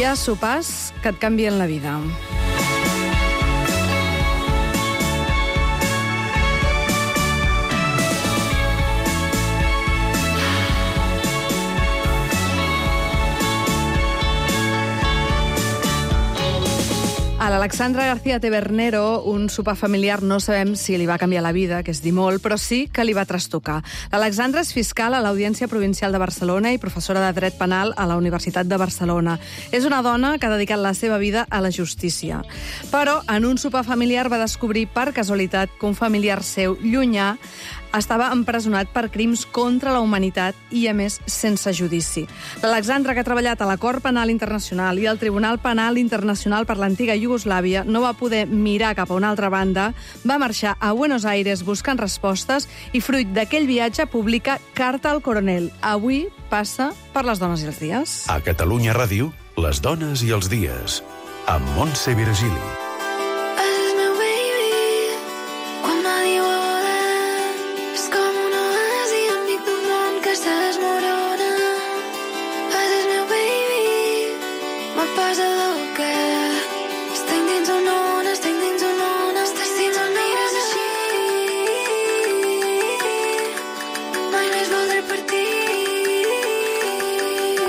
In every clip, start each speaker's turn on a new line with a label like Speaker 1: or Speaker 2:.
Speaker 1: Hi ha sopars que et canvien la vida. A l'Alexandra García Tabernero, un sopar familiar no sabem si li va canviar la vida, que és dir molt, però sí que li va trastocar. L'Alexandra és fiscal a l'Audiència Provincial de Barcelona i professora de Dret Penal a la Universitat de Barcelona. És una dona que ha dedicat la seva vida a la justícia. Però en un sopar familiar va descobrir per casualitat que un familiar seu llunyà estava empresonat per crims contra la humanitat i, a més, sense judici. L'Alexandra, que ha treballat a la Cort Penal Internacional i al Tribunal Penal Internacional per l'antiga Iugoslàvia, no va poder mirar cap a una altra banda, va marxar a Buenos Aires buscant respostes i, fruit d'aquell viatge, publica Carta al Coronel. Avui passa per les dones i els dies.
Speaker 2: A Catalunya Ràdio, les dones i els dies, amb Montse Virgili.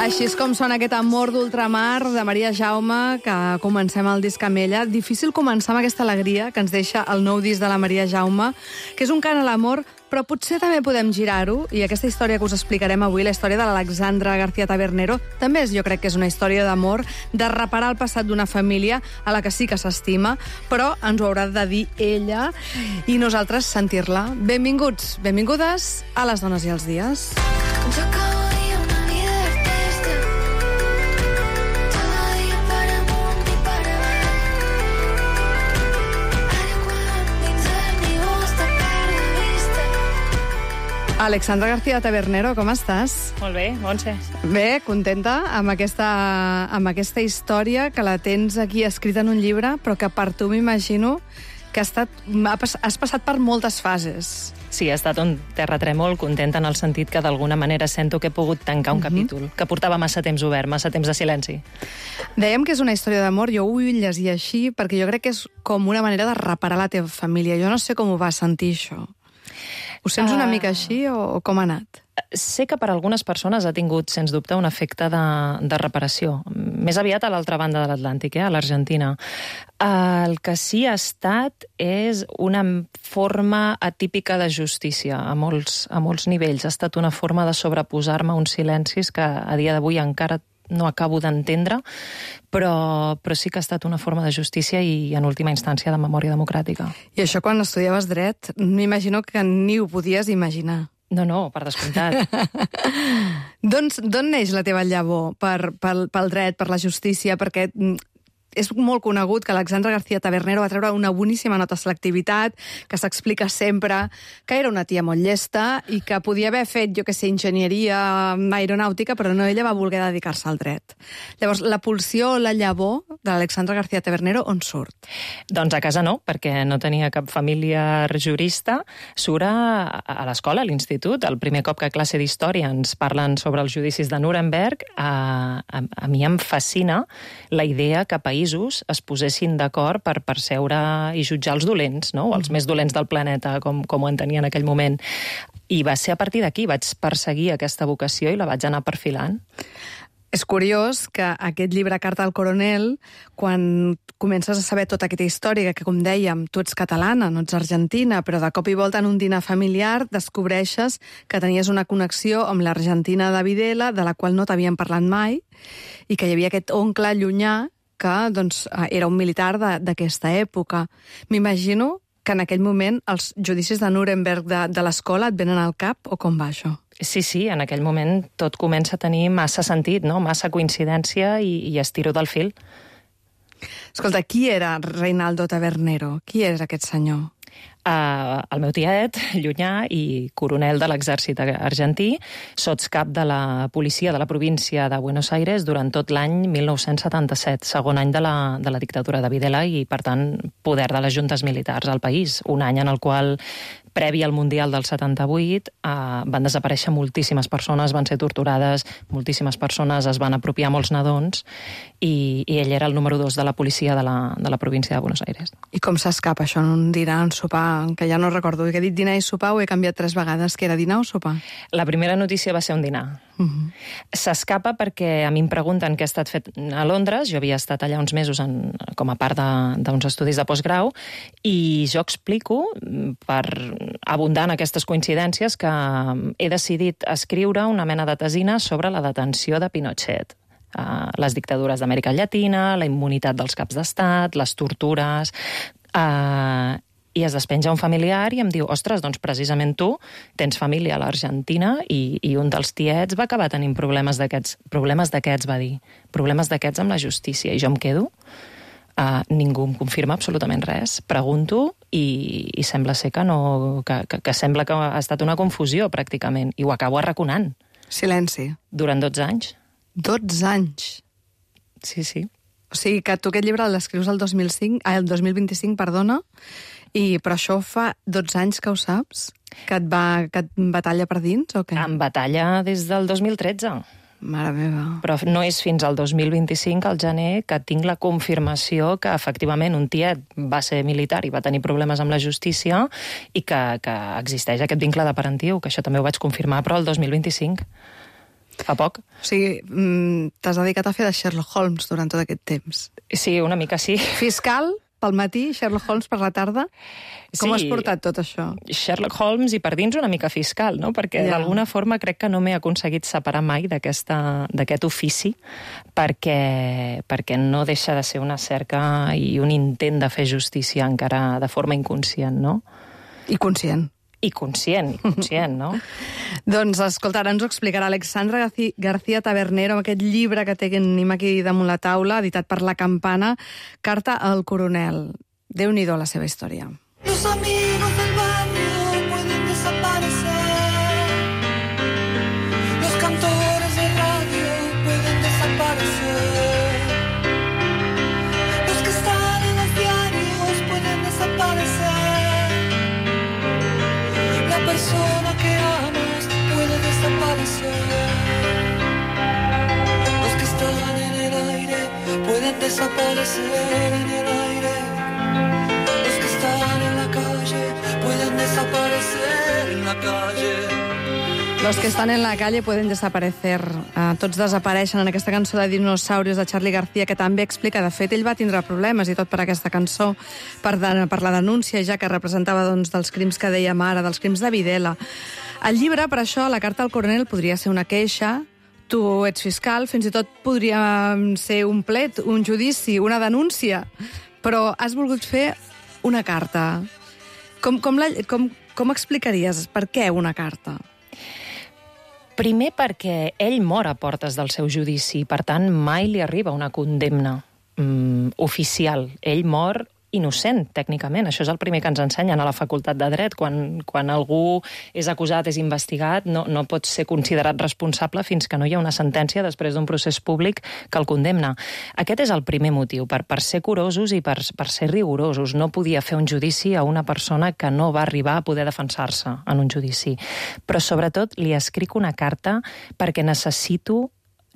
Speaker 1: Així és com sona aquest Amor d'ultramar de Maria Jaume, que comencem el disc amb ella. Difícil començar amb aquesta alegria que ens deixa el nou disc de la Maria Jaume, que és un cant a l'amor, però potser també podem girar-ho, i aquesta història que us explicarem avui, la història de l'Alexandra García Tabernero, també jo crec que és una història d'amor, de reparar el passat d'una família a la que sí que s'estima, però ens ho haurà de dir ella i nosaltres sentir-la. Benvinguts, benvingudes a Les dones i els dies. Alexandra García Tabernero, com estàs?
Speaker 3: Molt bé, Montse.
Speaker 1: Bé, contenta amb aquesta història que la tens aquí escrita en un llibre, però que per tu m'imagino que has passat per moltes fases.
Speaker 3: Sí, ha estat un terratrèmol, contenta en el sentit que d'alguna manera sento que he pogut tancar un capítol, que portava massa temps obert, massa temps de silenci.
Speaker 1: Dèiem que és una història d'amor, jo ho vull llegir així, perquè jo crec que és com una manera de reparar la teva família. Jo no sé com ho vas sentir, això. Ho sents una mica així o com ha anat?
Speaker 3: Sé que per a algunes persones ha tingut, sens dubte, un efecte de reparació. Més aviat a l'altra banda de l'Atlàntic, a l'Argentina. El que sí ha estat és una forma atípica de justícia a molts nivells. Ha estat una forma de sobreposar-me a uns silencis que a dia d'avui encara no acabo d'entendre, però sí que ha estat una forma de justícia i, en última instància, de memòria democràtica.
Speaker 1: I això, quan estudiaves dret, m'imagino que ni ho podies imaginar.
Speaker 3: No, per descomptat.
Speaker 1: D'on neix la teva llavor pel dret, per la justícia? Perquè és molt conegut que Alexandra García Tabernero va treure una boníssima nota de selectivitat, que s'explica sempre que era una tia molt llesta i que podia haver fet, jo que sé, enginyeria aeronàutica, però no, ella va voler dedicar-se al dret. Llavors, la pulsió o la llavor de l'Alexandra García Tabernero on surt?
Speaker 3: Doncs a casa no, perquè no tenia cap familiar jurista. Surt a l'escola, a l'institut. El primer cop que a classe d'història ens parlen sobre els judicis de Nuremberg, a mi em fascina la idea que països es posessin d'acord per percebre i jutjar els dolents, no? Els més dolents del planeta, com ho entenia en aquell moment. I va ser a partir d'aquí, vaig perseguir aquesta vocació i la vaig anar perfilant.
Speaker 1: És curiós que aquest llibre Carta al Coronel, quan comences a saber tota aquesta història, que com dèiem, tu ets catalana, no ets argentina, però de cop i volta en un dinar familiar descobreixes que tenies una connexió amb l'Argentina de Videla, de la qual no t'havien parlat mai, i que hi havia aquest oncle llunyà que era un militar d'aquesta època. M'imagino que en aquell moment els judicis de Nuremberg de l'escola et venen al cap, o com va això?
Speaker 3: Sí, en aquell moment tot comença a tenir massa sentit, no? Massa coincidència i estiro del fil.
Speaker 1: Escolta, qui era Reinaldo Tabernero? Qui era aquest senyor?
Speaker 3: El meu tiet, llunyà i coronel de l'exèrcit argentí, sotscap de la policia de la província de Buenos Aires durant tot l'any 1977, segon any de la dictadura de Videla i, per tant, poder de les juntes militars al país. Un any en el qual previ al Mundial del 78, van desaparèixer moltíssimes persones, van ser torturades, moltíssimes persones es van apropiar molts nadons, i ell era el número 2 de la policia de la província de Buenos Aires.
Speaker 1: I com s'escapa això en un dinar, en sopar, que ja no recordo, que he dit dinar i sopar, ho he canviat 3 vegades, que era dinar o sopar?
Speaker 3: La primera notícia va ser un dinar. S'escapa perquè a mi em pregunten què ha estat fet a Londres. Jo havia estat allà uns mesos com a part d'uns estudis de postgrau, i jo explico, per abundar en aquestes coincidències, que he decidit escriure una mena de tesina sobre la detenció de Pinochet. Les dictadures d'Amèrica Llatina, la immunitat dels caps d'estat, les tortures... I es despenja un familiar i em diu, ostres, doncs precisament tu tens família a l'Argentina i un dels tiets va acabar tenint problemes d'aquests, va dir, problemes d'aquests amb la justícia. I jo em quedo, ningú em confirma absolutament res, pregunto i sembla ser que sembla que ha estat una confusió pràcticament, i ho acabo arraconant.
Speaker 1: Silenci.
Speaker 3: Durant 12 anys.
Speaker 1: 12 anys?
Speaker 3: Sí, sí.
Speaker 1: O sigui que tu aquest llibre l'escrius el 2025, perdona, però això fa 12 anys que ho saps? Que et batalla per dins, o què?
Speaker 3: Em batalla des del 2013.
Speaker 1: Mare meva.
Speaker 3: Però no és fins al 2025, al gener, que tinc la confirmació que efectivament un tiet va ser militar i va tenir problemes amb la justícia i que existeix aquest vincle de parentiu, que això també ho vaig confirmar, però el 2025. Fa poc.
Speaker 1: O sigui, t'has dedicat a fer de Sherlock Holmes durant tot aquest temps.
Speaker 3: Sí, una mica sí.
Speaker 1: Fiscal pel matí, Sherlock Holmes per la tarda. Com has portat tot això?
Speaker 3: Sherlock Holmes i per dins una mica fiscal, no? Perquè d'alguna forma crec que no m'he aconseguit separar mai d'aquest ofici, perquè no deixa de ser una cerca i un intent de fer justícia encara de forma inconscient, no?
Speaker 1: I conscient.
Speaker 3: I conscient, no?
Speaker 1: Doncs, escolta, ara ens ho explicarà Alexandra García Tabernero amb aquest llibre que tenim aquí damunt la taula, editat per La Campana, Carta al coronel. Déu-n'hi-do la seva història.
Speaker 4: Los amigos del barrio pueden desaparecer. Los cantores de radio pueden desaparecer. Los que están en los diarios pueden desaparecer. La persona que amas puede desaparecer. Los que están en el aire pueden desaparecer en el aire. Los que están en la calle pueden desaparecer en la calle.
Speaker 1: Los que estan en la calle pueden desaparecer. Tots desapareixen en aquesta cançó de Dinosaurios de Charly García, que també explica, de fet, ell va tindre problemes i tot per aquesta cançó, per la denúncia ja que representava dels crims que dèiem ara, dels crims de Videla. El llibre, per això, la carta al coronel podria ser una queixa, tu ets fiscal, fins i tot podria ser un plet, un judici, una denúncia, però has volgut fer una carta. Com explicaries per què una carta?
Speaker 3: Primer perquè ell mor a portes del seu judici, per tant mai li arriba una condemna oficial. Ell mor innocent, tècnicament. Això és el primer que ens ensenyen a la Facultat de Dret. Quan algú és acusat, és investigat, no pot ser considerat responsable fins que no hi ha una sentència després d'un procés públic que el condemna. Aquest és el primer motiu, per ser curosos i per ser rigorosos. No podia fer un judici a una persona que no va arribar a poder defensar-se en un judici. Però sobretot li escric una carta perquè necessito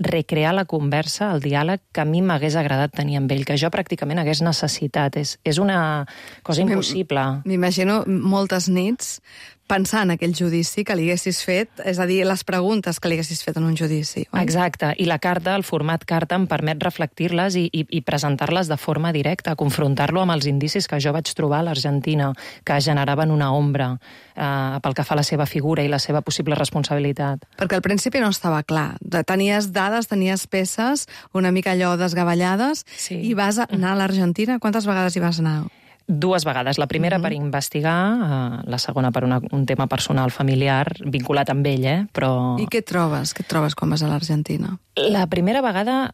Speaker 3: recrear la conversa, el diàleg que a mi m'hagués agradat tenir amb ell, que jo pràcticament hagués necessitat. És una cosa impossible.
Speaker 1: M'imagino moltes nits pensar en aquell judici que li haguessis fet, és a dir, les preguntes que li haguessis fet en un judici. Oi?
Speaker 3: Exacte, i la carta, el format carta, em permet reflectir-les i presentar-les de forma directa, confrontar-lo amb els indicis que jo vaig trobar a l'Argentina, que generaven una ombra pel que fa a la seva figura i la seva possible responsabilitat.
Speaker 1: Perquè al principi no estava clar. Tenies dades, tenies peces, una mica allò desgavellades, sí. I vas anar a l'Argentina? Quantes vegades hi vas anar?
Speaker 3: 2 vegades. La primera per investigar, la segona per un tema personal familiar, vinculat amb ell, però...
Speaker 1: I què trobes? Què trobes quan vas a l'Argentina?
Speaker 3: La primera vegada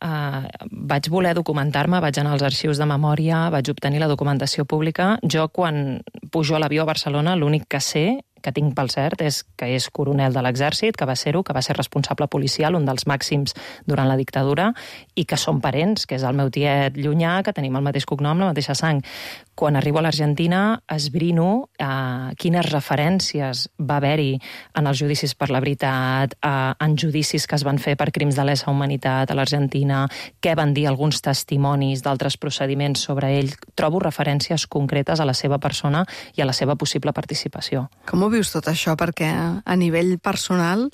Speaker 3: vaig voler documentar-me, vaig anar als arxius de memòria, vaig obtenir la documentació pública. Jo, quan pujo a l'avió a Barcelona, l'únic que sé que tinc pel cert és que és coronel de l'exèrcit, que va ser-ho, que va ser responsable policial, un dels màxims durant la dictadura, i que són parents, que és el meu tiet llunyà, que tenim el mateix cognom, la mateixa sang. Quan arribo a l'Argentina esbrino quines referències va haver-hi en els judicis per la veritat, en judicis que es van fer per crims de lesa humanitat a l'Argentina, què van dir alguns testimonis d'altres procediments sobre ell. Trobo referències concretes a la seva persona i a la seva possible participació.
Speaker 1: Com ho vius tot això? Perquè a nivell personal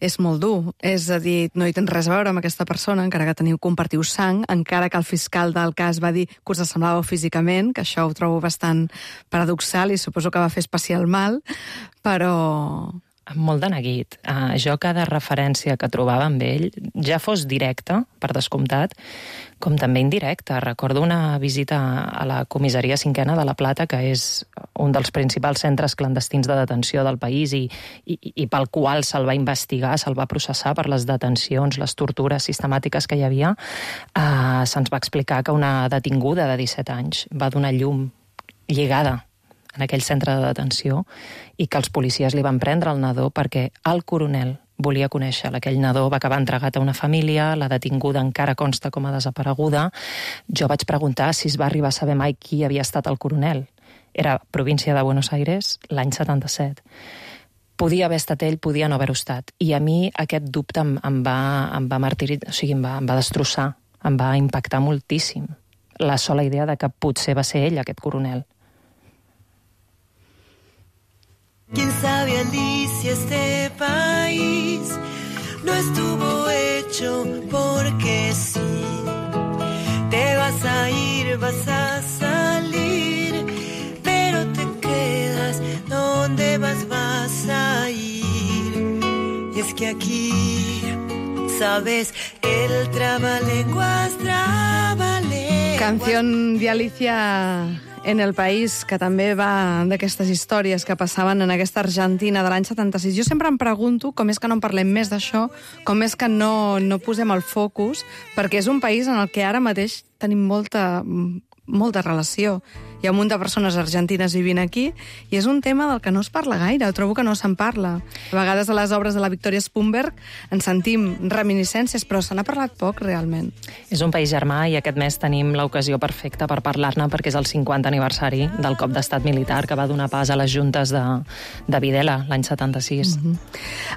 Speaker 1: és molt dur. És a dir, no hi tens res a veure amb aquesta persona, encara que compartiu sang, encara que el fiscal del cas va dir que us assemblàveu físicament, que això ho trobo bastant paradoxal i suposo que va fer especial mal, però...
Speaker 3: Molt de neguit. Jo cada referència que trobava amb ell, ja fos directa, per descomptat, com també indirecta. Recordo una visita a la comissaria 5ª de La Plata, que és un dels principals centres clandestins de detenció del país i pel qual se'l va investigar, se'l va processar per les detencions, les tortures sistemàtiques que hi havia. Se'ns va explicar que una detinguda de 17 anys va donar llum lligada en aquell centre de detenció i que els policies li van prendre el nadó perquè el coronel volia conèixer aquell nadó, va acabar entregat a una família, la detinguda encara consta com a desapareguda. Jo vaig preguntar si es va arribar a saber mai qui havia estat el coronel. Era província de Buenos Aires, l'any 77. Podia haver estat ell, podia no haver-ho estat. I a mi aquest dubte em va martiritzar, o sigui, em va destrossar, em va impactar moltíssim. La sola idea de que potser va ser ell, aquest coronel.
Speaker 5: ¿Quién sabe, Alicia, este país no estuvo hecho porque sí? Te vas a ir, vas a salir, pero te quedas, ¿dónde vas a ir? Y es que aquí, sabes, el trabalenguas,
Speaker 1: Canción de Alicia en el País, que també va d'aquestes històries que passaven en aquesta Argentina de l'any 76. Jo sempre em pregunto com és que no en parlem més d'això, com és que no posem el focus, perquè és un país en el que ara mateix tenim molta relació. Hi ha un munt de persones argentines vivint aquí i és un tema del que no es parla gaire. Trobo que no se'n parla. A vegades a les obres de la Victoria Spunberg ens sentim reminiscències, però se n'ha parlat poc, realment.
Speaker 3: És un país germà i aquest mes tenim l'ocasió perfecta per parlar-ne perquè és el 50 aniversari del cop d'estat militar que va donar pas a les juntes de Videla l'any 76.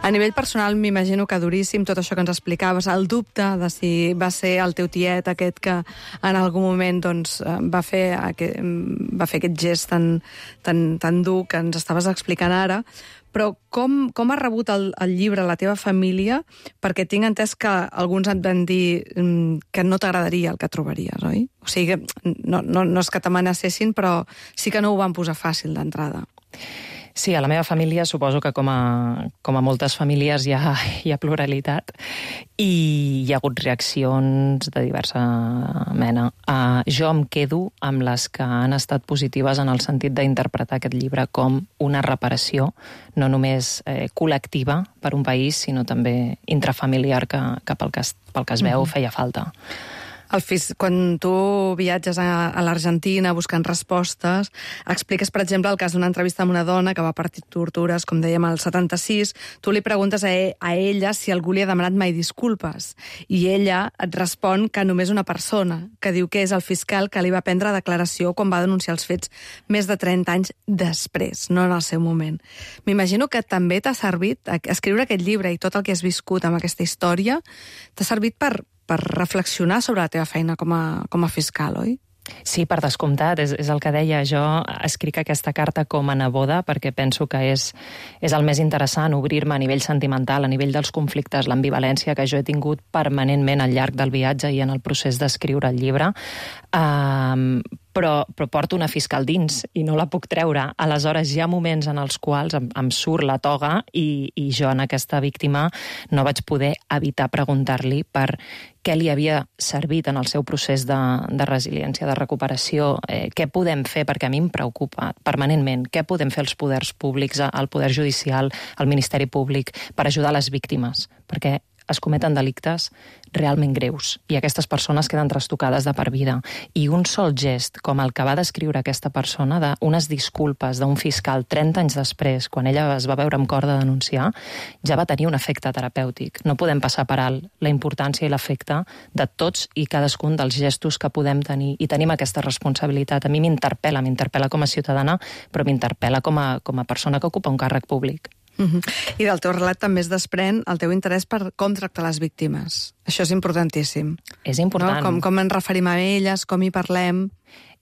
Speaker 1: A nivell personal m'imagino que duríssim tot això que ens explicaves, el dubte de si va ser el teu tiet aquest que en algun moment doncs, va fer aquest gest tan dur que ens estaves explicant ara, però com ha rebut el llibre la teva família? Perquè tinc entès que alguns et van dir que no t'agradaria el que trobaries, oi? O sigui, no és que t'amenacessin, però sí que no ho van posar fàcil d'entrada.
Speaker 3: Sí, a la meva família suposo que com a moltes famílies hi ha pluralitat i hi ha hagut reaccions de diversa mena. Jo em quedo amb les que han estat positives en el sentit d'interpretar aquest llibre com una reparació, no només col·lectiva per un país, sinó també intrafamiliar que pel que es veu feia falta.
Speaker 1: Quan tu viatges a l'Argentina buscant respostes, expliques, per exemple, el cas d'una entrevista amb una dona que va patir tortures, com dèiem, al 76. Tu li preguntes a ella si algú li ha demanat mai disculpes. I ella et respon que només una persona, que diu que és el fiscal que li va prendre declaració quan va denunciar els fets més de 30 anys després, no en el seu moment. M'imagino que també t'ha servit escriure aquest llibre i tot el que has viscut amb aquesta història, t'ha servit per reflexionar sobre la teva feina com a fiscal, oi?
Speaker 3: Sí, per descomptat, és el que deia. Jo escric aquesta carta com a neboda perquè penso que és el més interessant, obrir-me a nivell sentimental, a nivell dels conflictes, l'ambivalència que jo he tingut permanentment al llarg del viatge i en el procés d'escriure el llibre. Però porto una fiscal dins i no la puc treure. Aleshores, hi ha moments en els quals em surt la toga i jo en aquesta víctima no vaig poder evitar preguntar-li per què li havia servit en el seu procés de resiliència, de recuperació, què podem fer, perquè a mi em preocupa permanentment, què podem fer els poders públics, el poder judicial, el Ministeri Públic, per ajudar les víctimes, perquè es cometen delictes realment greus i aquestes persones queden trastocades de per vida. I un sol gest, com el que va descriure aquesta persona, d'unes disculpes d'un fiscal 30 anys després, quan ella es va veure amb cor de denunciar, ja va tenir un efecte terapèutic. No podem passar per alt la importància i l'efecte de tots i cadascun dels gestos que podem tenir, i tenim aquesta responsabilitat. A mi m'interpel·la com a ciutadana, però m'interpel·la com a persona que ocupa un càrrec públic.
Speaker 1: I del teu relat també es desprèn el teu interès per com tractar les víctimes. Això és importantíssim.
Speaker 3: És important.
Speaker 1: No? Com ens referim a elles, com hi parlem...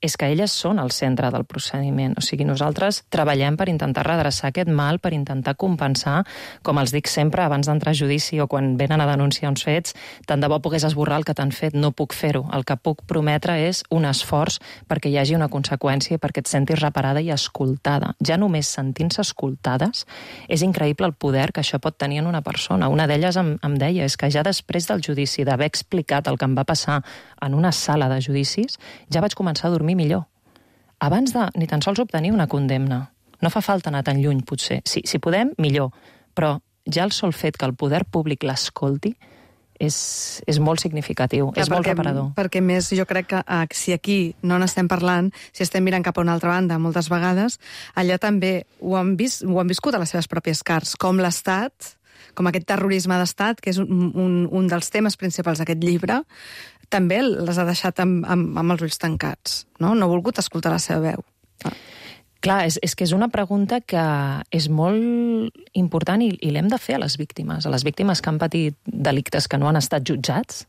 Speaker 3: És que elles són el centre del procediment. O sigui, nosaltres treballem per intentar redreçar aquest mal, per intentar compensar, com els dic sempre, abans d'entrar a judici o quan venen a denunciar uns fets, tant de bo pogués esborrar el que t'han fet, no puc fer-ho. El que puc prometre és un esforç perquè hi hagi una conseqüència i perquè et sentis reparada i escoltada. Ja només sentint-se escoltades és increïble el poder que això pot tenir en una persona. Una d'elles em deia, és que ja després del judici, d'haver explicat el que em va passar en una sala de judicis, ja vaig començar a dormir millor. Abans de ni tan sols obtenir una condemna. No fa falta anar tan lluny, potser. Si podem, millor. Però ja el sol fet que el poder públic l'escolti és molt significatiu, és molt reparador.
Speaker 1: Perquè més jo crec que si aquí no n'estem parlant, si estem mirant cap a una altra banda moltes vegades, allà també ho han viscut a les seves pròpies carns, com l'Estat, com aquest terrorisme d'Estat, que és un dels temes principals d'aquest llibre, també les ha deixat amb els ulls tancats, no? No ha volgut escoltar la seva veu.
Speaker 3: Clar, és que és una pregunta que és molt important i l'hem de fer a les víctimes que han patit delictes que no han estat jutjats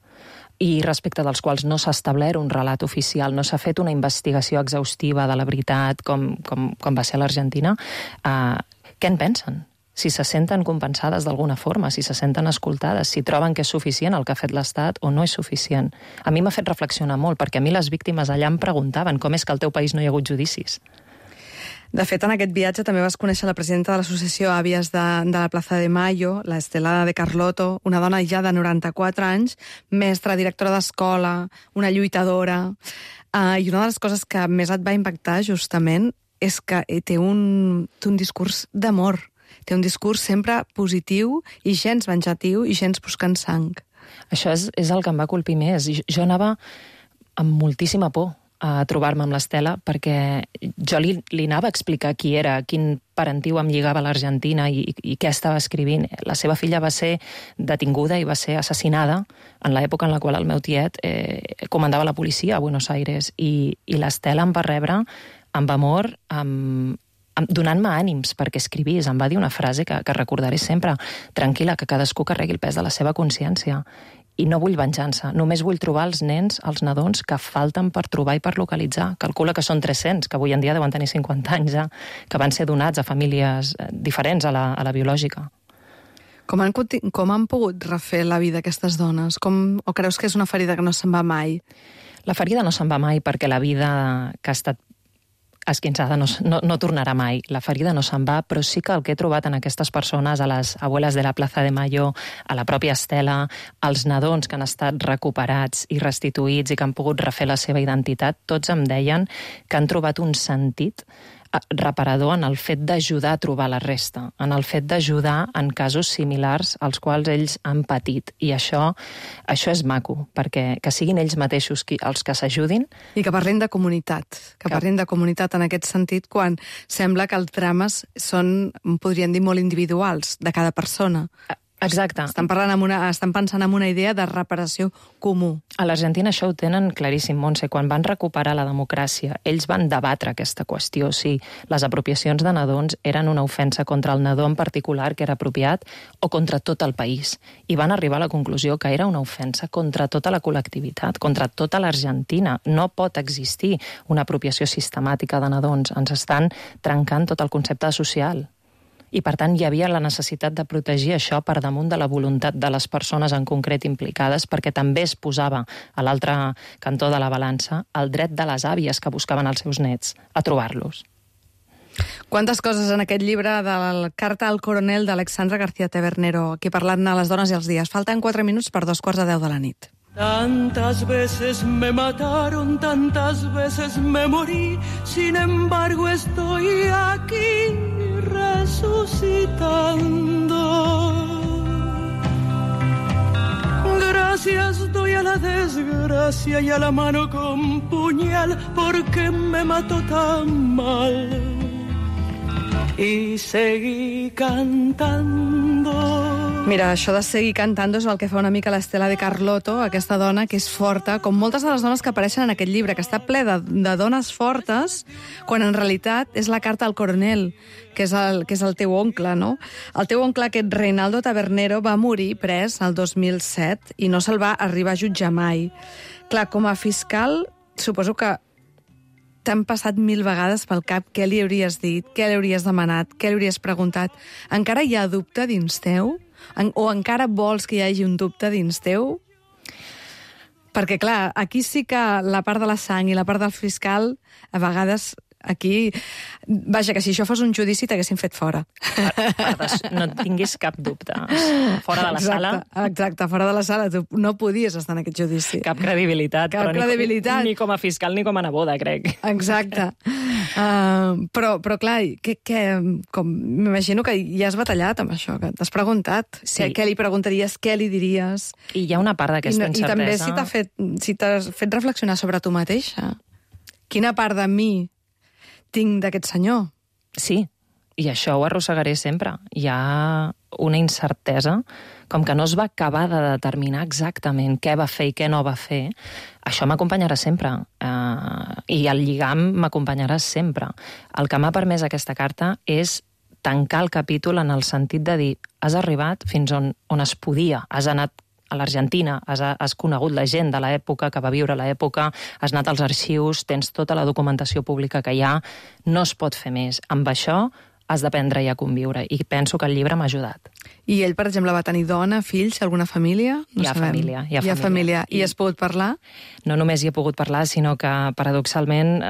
Speaker 3: i respecte dels quals no s'ha establert un relat oficial, no s'ha fet una investigació exhaustiva de la veritat com va ser a l'Argentina. Què en pensen? Si se senten compensades d'alguna forma, si se senten escoltades, si troben que és suficient el que ha fet l'Estat o no és suficient. A mi m'ha fet reflexionar molt, perquè a mi les víctimes allà em preguntaven com és que al teu país no hi ha hagut judicis.
Speaker 1: De fet, en aquest viatge també vas conèixer la presidenta de l'associació Àvies de la Plaza de Mayo, la Estela de Carlotto, una dona ja de 94 anys, mestra, directora d'escola, una lluitadora. I una de les coses que més et va impactar, justament, és que té un discurs d'amor. Té un discurs sempre positiu i gens venjatiu i gens buscant sang.
Speaker 3: Això és el que em va colpir més. Jo anava amb moltíssima por a trobar-me amb l'Estela perquè jo li anava a explicar qui era, quin parentiu em lligava a l'Argentina i què estava escrivint. La seva filla va ser detinguda i va ser assassinada en l'època en la qual el meu tiet comandava la policia a Buenos Aires i l'Estela em va rebre amb amor, donant-me ànims perquè escrivís. Em va dir una frase que recordaré sempre: tranquil·la, que cadascú carregui el pes de la seva consciència. I no vull venjança, només vull trobar els nens, els nadons que falten per trobar i per localitzar. Calcula que són 300, que avui en dia deuen tenir 50 anys ja, que van ser donats a famílies diferents a la biològica.
Speaker 1: Com han pogut refer la vida aquestes dones? O creus que és una ferida que no se'n va mai?
Speaker 3: La ferida no se'n va mai perquè la vida que ha estat esquinçada no tornarà mai. La ferida no se'n va, però sí que el que he trobat en aquestes persones, a les abueles de la Plaza de Mayo, a la pròpia Estela, als nadons que han estat recuperats i restituïts i que han pogut refer la seva identitat, tots em deien que han trobat un sentit reparador en el fet d'ajudar a trobar la resta, en el fet d'ajudar en casos similars als quals ells han patit. I això és maco, perquè que siguin ells mateixos els que s'ajudin.
Speaker 1: I que parlin de comunitat, parlin de comunitat en aquest sentit, quan sembla que els drames són, podríem dir, molt individuals, de cada persona.
Speaker 3: Exacte.
Speaker 1: Estan pensant en una idea de reparació comú.
Speaker 3: A l'Argentina això ho tenen claríssim, Montse. Quan van recuperar la democràcia, ells van debatre aquesta qüestió, si les apropiacions de nadons eren una ofensa contra el nadó en particular que era apropiat o contra tot el país. I van arribar a la conclusió que era una ofensa contra tota la col·lectivitat, contra tota l'Argentina. No pot existir una apropiació sistemàtica de nadons. Ens estan trencant tot el concepte social. I, per tant, hi havia la necessitat de protegir això per damunt de la voluntat de les persones en concret implicades, perquè també es posava a l'altre cantó de la balança el dret de les àvies que buscaven els seus nets a trobar-los.
Speaker 1: Quantes coses en aquest llibre de la Carta al Coronel d'Alexandra García Tebernero, aquí parlant de les dones i els dies. Falten 4 minuts per 2:15 de la nit.
Speaker 6: Tantas veces me mataron, tantas veces me morí, sin embargo estoy aquí resucitando. las doy a la desgracia y a la mano con puñal porque me mató tan mal. Y seguí cantando.
Speaker 1: Mira, això de seguir cantant és el que fa una mica l'Estela de Carlotto, aquesta dona que és forta, com moltes de les dones que apareixen en aquest llibre, que està ple de dones fortes, quan en realitat és la carta al coronel, que és el teu oncle, no? El teu oncle, aquest Reinaldo Tabernero, va morir pres el 2007 i no se'l va arribar a jutjar mai. Clar, com a fiscal, suposo que t'han passat 1000 vegades pel cap què li hauries dit, què li hauries demanat, què li hauries preguntat. Encara hi ha dubte dins teu? O encara vols que hi hagi un dubte dins teu? Perquè, clar, aquí sí que la part de la sang i la part del fiscal, a vegades, aquí... Vaja, que si això fos un judici t'haguessin fet fora.
Speaker 3: No tinguis cap dubte. Fora de la sala...
Speaker 1: Exacte, fora de la sala. Tu no podies estar en aquest judici.
Speaker 3: Cap credibilitat.
Speaker 1: Cap credibilitat.
Speaker 3: Ni com a fiscal ni com a neboda, crec.
Speaker 1: Exacte. Però clar, m'imagino que ja has batallat amb això, que t'has preguntat.
Speaker 3: Sí.
Speaker 1: Què li preguntaries, què li diries?
Speaker 3: I hi ha una part d'aquesta incertesa...
Speaker 1: I també si t'has fet reflexionar sobre tu mateixa. Quina part de mi tinc d'aquest senyor?
Speaker 3: Sí, i això ho arrossegaré sempre. Hi ha una incertesa, com que no es va acabar de determinar exactament què va fer i què no va fer. Això m'acompanyarà sempre, i el lligam m'acompanyarà sempre. El que m'ha permès aquesta carta és tancar el capítol en el sentit de dir has arribat fins on es podia, has anat a l'Argentina, has conegut la gent de l'època que va viure l'època, has anat als arxius, tens tota la documentació pública que hi ha, no es pot fer més. Amb això has d'aprendre ja a conviure, i penso que el llibre m'ha ajudat.
Speaker 1: I ell, per exemple, va tenir dona, fills, alguna família?
Speaker 3: Hi ha família.
Speaker 1: I has pogut parlar?
Speaker 3: No només hi he pogut parlar, sinó que, paradoxalment,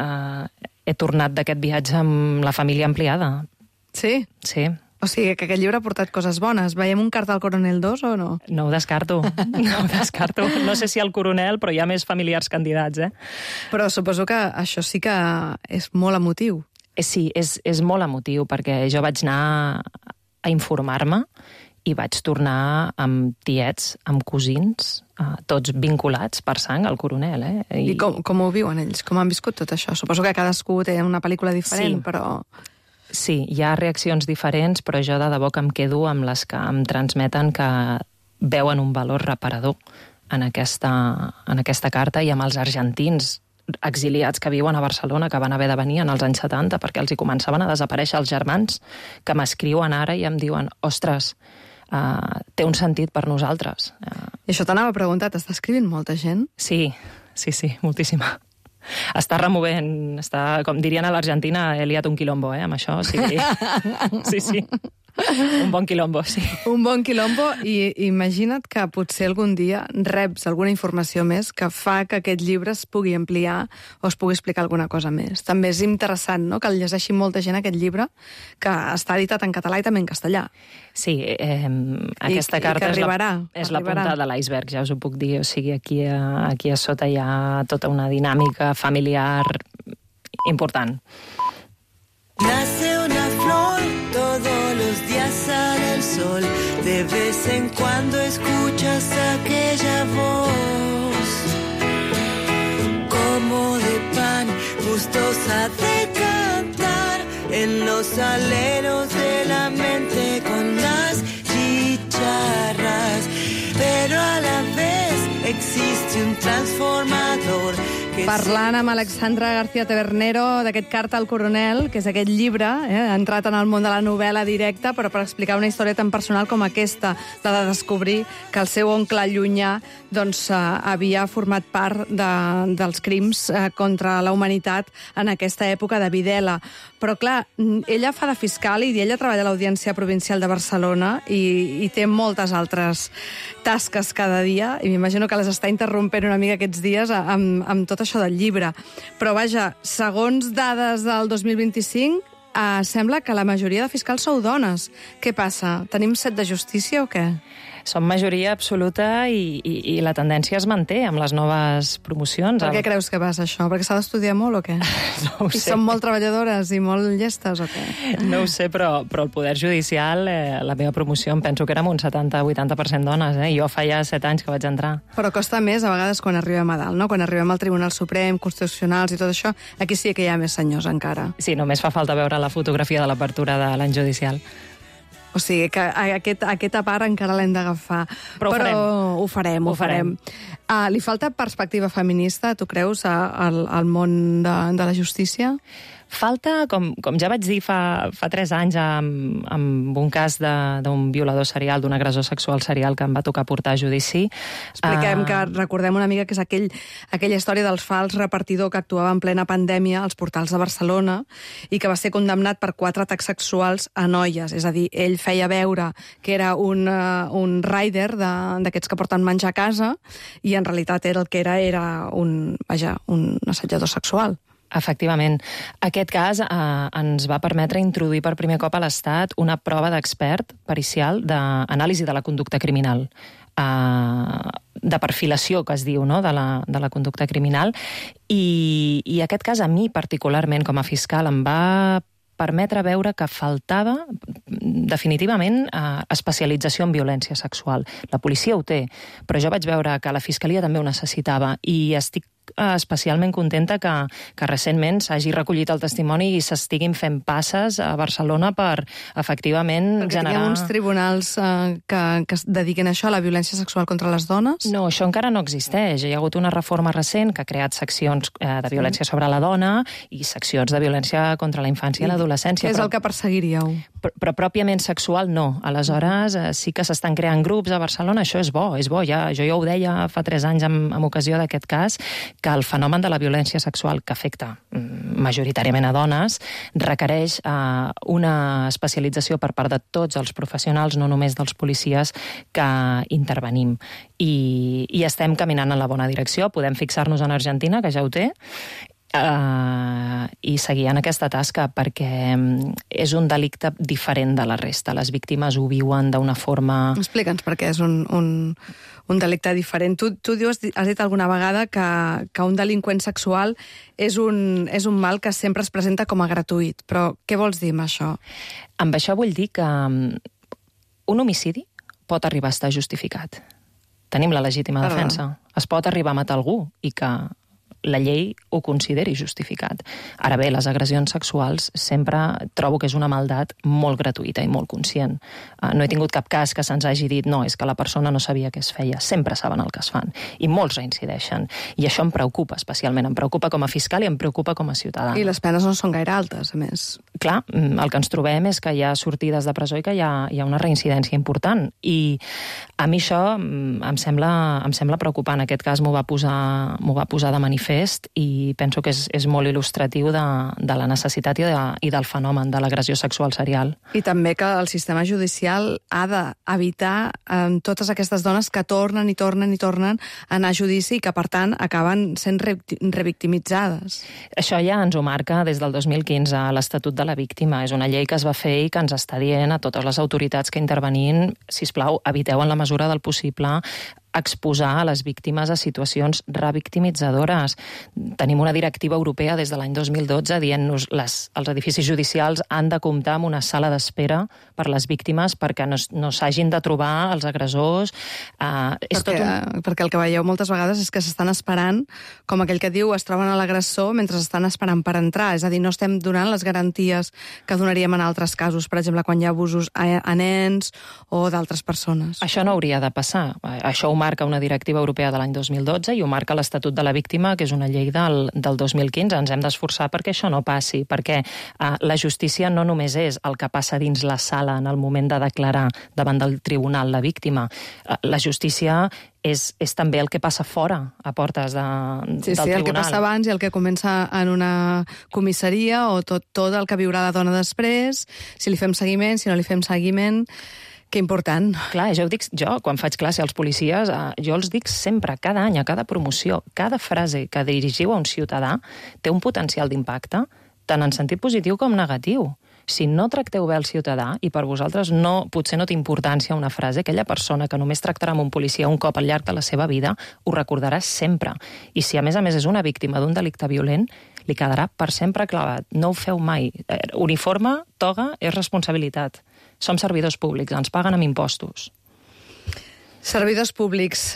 Speaker 3: he tornat d'aquest viatge amb la família ampliada.
Speaker 1: Sí?
Speaker 3: Sí.
Speaker 1: O sigui, que aquest llibre ha portat coses bones. Veiem un carta al coronel 2 o no?
Speaker 3: No ho descarto, No sé si al coronel, però hi ha més familiars candidats,
Speaker 1: Però suposo que això sí que és molt emotiu.
Speaker 3: Sí, és molt emotiu, perquè jo vaig anar a informar-me i vaig tornar amb tiets, amb cosins, tots vinculats per sang al coronel.
Speaker 1: I com ho viuen ells? Com han viscut tot això? Suposo que cadascú té una pel·lícula diferent,
Speaker 3: sí.
Speaker 1: Però...
Speaker 3: Sí, hi ha reaccions diferents, però jo de debò que em quedo amb les que em transmeten que veuen un valor reparador en aquesta carta, i amb els argentins exiliats que viuen a Barcelona, que van haver de venir en els anys 70 perquè els hi començaven a desaparèixer els germans, que m'escriuen ara i em diuen ostres, té un sentit per nosaltres.
Speaker 1: I això t'anava a preguntar, t'està escrivint molta gent?
Speaker 3: Sí, moltíssima. Està removent, com dirien a l'Argentina, he liat un quilombo, amb això, sí. Sí. Un bon quilombo, sí.
Speaker 1: Un bon quilombo, i imagina't que potser algun dia reps alguna informació més que fa que aquest llibre es pugui ampliar o es pugui explicar alguna cosa més. També és interessant, no?, que el llegeixi molta gent, aquest llibre, que està editat en català i també en castellà.
Speaker 3: Sí, aquesta carta és la punta de l'iceberg, ja us ho puc dir. O sigui, aquí a sota hi ha tota una dinàmica familiar important.
Speaker 5: Nace una flor, todos los días sale el sol, de vez en cuando escuchas aquella voz, como de pan, gustosa de cantar, en los aleros de la mente con las chicharras, pero a la vez existe un transformador.
Speaker 1: Parlant amb Alexandra García Tabernero d'aquest Carta al coronel, que és aquest llibre, ha entrat en el món de la novel·la directa, però per explicar una història tan personal com aquesta, la de descobrir que el seu oncle llunyà havia format part dels crims contra la humanitat en aquesta època de Videla. Però, clar, ella fa de fiscal i ella treballa a l'Audiència Provincial de Barcelona i té moltes altres tasques cada dia, i m'imagino que les està interrompent una mica aquests dies amb tot això del llibre. Però, vaja, segons dades del 2025, sembla que la majoria de fiscals sou dones. Què passa? Tenim set de justícia o què?
Speaker 3: Som majoria absoluta i la tendència es manté amb les noves promocions.
Speaker 1: Per què creus que passa això? Perquè s'ha d'estudiar molt o què?
Speaker 3: No ho sé.
Speaker 1: I són molt treballadores i molt llestes o què?
Speaker 3: No ho sé, però el Poder Judicial, la meva promoció, em penso que érem un 70-80% dones. Jo fa ja 7 anys que vaig entrar.
Speaker 1: Però costa més a vegades quan arribem a dalt, no? Quan arribem al Tribunal Suprem, Constitucionals i tot això, aquí sí que hi ha més senyors encara.
Speaker 3: Sí, només fa falta veure la fotografia de l'apertura de l'any judicial.
Speaker 1: O sigui, que aquesta part encara l'hem d'agafar.
Speaker 3: Però
Speaker 1: ho farem. Li falta perspectiva feminista, tu creus, al món de la justícia?
Speaker 3: Falta, com ja vaig dir fa 3 anys amb un cas d'un violador serial, d'un agressor sexual serial que em va tocar portar a judici.
Speaker 1: Expliquem que recordem una mica que és aquella història del fals repartidor que actuava en plena pandèmia als portals de Barcelona i que va ser condemnat per 4 atacs sexuals a noies. És a dir, ell feia veure que era un rider d'aquests que porten menjar a casa i en realitat el que era un assetjador sexual.
Speaker 3: Efectivament. Aquest cas ens va permetre introduir per primer cop a l'Estat una prova d'expert pericial d'anàlisi de la conducta criminal, de perfilació, que es diu, no?, de la conducta criminal. I aquest cas, a mi particularment, com a fiscal, em va permetre veure que faltava definitivament especialització en violència sexual. La policia ho té, però jo vaig veure que la Fiscalia també ho necessitava i estic especialment contenta que recentment s'hagi recollit el testimoni i s'estiguin fent passes a Barcelona per efectivament
Speaker 1: perquè
Speaker 3: generar...
Speaker 1: Perquè tinguem uns tribunals que es dediquen a això, a la violència sexual contra les dones?
Speaker 3: No, això encara no existeix. Hi ha hagut una reforma recent que ha creat seccions de violència sobre la dona i seccions de violència contra la infància i l'adolescència.
Speaker 1: Què és el que perseguiríeu?
Speaker 3: Però pròpiament sexual no. Aleshores sí que s'estan creant grups a Barcelona, això és bo. Jo ja ho deia fa 3 anys amb ocasió d'aquest cas, que el fenomen de la violència sexual que afecta majoritàriament a dones requereix una especialització per part de tots els professionals, no només dels policies que intervenim. I estem caminant en la bona direcció. Podem fixar-nos en Argentina, que ja ho té, i seguir en aquesta tasca perquè és un delicte diferent de la resta. Les víctimes ho viuen d'una forma...
Speaker 1: Explica'ns per què és un delicte diferent. Tu has dit alguna vegada que un delinqüent sexual és un mal que sempre es presenta com a gratuït. Però què vols dir amb això?
Speaker 3: Amb això vull dir que un homicidi pot arribar a estar justificat. Tenim la legítima defensa. Es pot arribar a matar algú i que la llei ho consideri justificat. Ara bé, les agressions sexuals sempre trobo que és una maldat molt gratuïta i molt conscient. No he tingut cap cas que se'ns hagi dit no, és que la persona no sabia què es feia. Sempre saben el que es fan. I molts reincideixen. I això em preocupa especialment. Em preocupa com a fiscal i em preocupa com a ciutadà.
Speaker 1: I les penes no són gaire altes, a més.
Speaker 3: Clar, el que ens trobem és que hi ha sortides de presó i que hi ha una reincidència important. I a mi això em sembla preocupant. Aquest cas m'ho va posar de manifest i penso que és molt il·lustratiu de la necessitat i del fenomen de l'agressió sexual serial.
Speaker 1: I també que el sistema judicial ha d'evitar totes aquestes dones que tornen a anar a judici i que, per tant, acaben sent revictimitzades.
Speaker 3: Això ja ens ho marca des del 2015 a l'Estatut de la Víctima. És una llei que es va fer i que ens està dient a totes les autoritats que intervenim, sisplau, eviteu en la mesura del possible exposar a les víctimes a situacions revictimitzadores. Tenim una directiva europea des de l'any 2012 dient-nos els edificis judicials han de comptar amb una sala d'espera per les víctimes perquè no s'hagin de trobar els agressors.
Speaker 1: Perquè el que veieu moltes vegades és que s'estan esperant, com aquell que diu, es troben a l'agressor mentre estan esperant per entrar. És a dir, no estem donant les garanties que donaríem en altres casos, per exemple, quan hi ha abusos a nens o d'altres persones.
Speaker 3: Això no hauria de passar. Això ho marca una directiva europea de l'any 2012 i ho marca l'Estatut de la Víctima, que és una llei del 2015. Ens hem d'esforçar perquè això no passi, perquè la justícia no només és el que passa dins la sala en el moment de declarar davant del tribunal la víctima. La justícia és també el que passa fora, a portes del tribunal.
Speaker 1: Sí, el que passa abans i el que comença en una comissaria o tot el que viurà la dona després, si li fem seguiment, si no li fem seguiment. Que important.
Speaker 3: Clar, jo quan faig classe als policies, jo els dic sempre, cada any, a cada promoció, cada frase que dirigiu a un ciutadà té un potencial d'impacte, tant en sentit positiu com negatiu. Si no tracteu bé el ciutadà, i per vosaltres potser no té importància una frase, aquella persona que només tractarà amb un policia un cop al llarg de la seva vida, ho recordarà sempre. I si a més és una víctima d'un delicte violent, li quedarà per sempre clavat. No ho feu mai. Uniforme, toga, és responsabilitat. Som servidors públics, ens paguen amb impostos.
Speaker 1: Servidors públics,